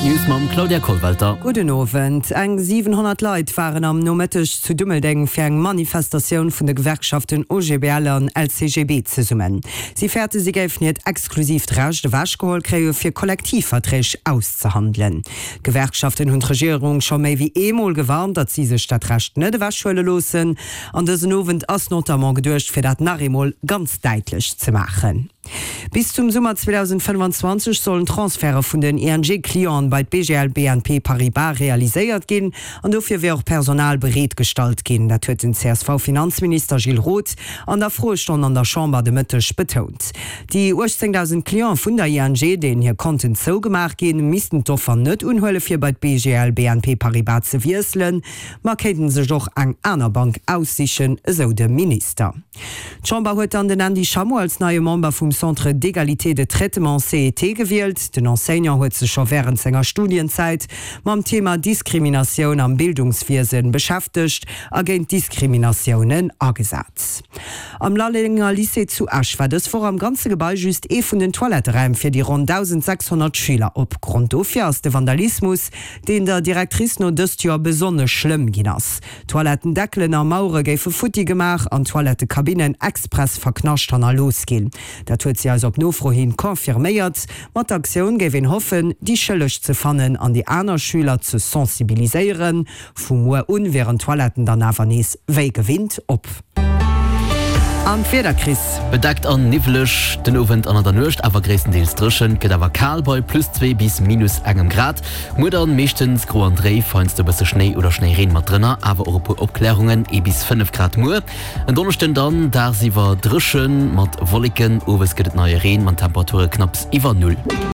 d'News mam Claudia Kollwelter. Gudden Owend. Eng 700 Leit waren am Nomëtteg zu Dummeldeng fir eng Manifestatioun vun de Gewerkschaften OGBL an LCGB zesummen. Si fäerte si géifen hiert exklusiivt Recht ewechgeholl kréie fir Kollektivverträg auszehandelen. D'Gewerkschaften hunn d'Regierung scho méi wéi eemol gewarnt, datt si sech dat Recht net ewechhuele loossen. An dësen Owend ass notamment geduecht fir dat nach eemol ganz däitlech ze maachen. Bis zum Summer 2025 sollen d'Transferte vun den ING-Clienten bei d'BGL BNP Paribas realiséiert ginn an dofir wier och Personal bereet gestallt ginn. Dat huet den CSV-Finanzminister Gilles Roth an der Froestonn an der Chamber de Mëtteg betount. Déi 18.000 Cliente vun der ING, deenen hir Konten zougemaach ginn, missten d'Offer net unhuele fir bei d'BGL BNP Paribas ze wiesselen, ma kéinten sech och eng aner Bank aussichen, esou de Minister. D'Chamber huet dann den Andy Schammo als neie Member vum Centre d'égalité de traitement, CET, gewielt. Den Enseignant huet sech scho wärend senger Studienzäit mam Thema Diskriminatioun am Bildungswiesen beschäftegt a géint Diskriminatiounen agesat. Am Lallenger Lycée zu Esch war dës Woch am ganze Gebai just ee vun den Toiletteräim fir déi ronn 1.600 Schüler op. Grond dofir ass de Vandalismus, deen der Directrice no dëst Joer besonnesch schlëmm ginn ass. Toilettendeckelen a Mauere géife futti gemaach an Toilettekabinnen express verknascht hannerlooss ginn. Dat huet si eis op Nofro hin confirméiert. Mat der Aktioun géif een hoffen, déi Schëlleg ze fannen an déi aner Schüler ze sensibiliséieren. Vu muer un wieren d'Toiletten dann awer nees wéi gewinnt op. An d'Wieder, Chris? Bedeckt an niwweleg den Owend an an der Nuecht, awer gréisstendeels dréchen. Et gëtt awer kal bei plus 2 bis minus engem Grad. Muer dann meeschtens gro an dréif, heiansdo e bësse Schnéi oder Schnéireen mat drënner, awer och e puer Opklärungen, ee bis 5 Grad muer. En Donneschden dann dagsiwwer dréchen mat Wolleken, owes gëtt et neie Reen mat Temperature knapps iwwer Null.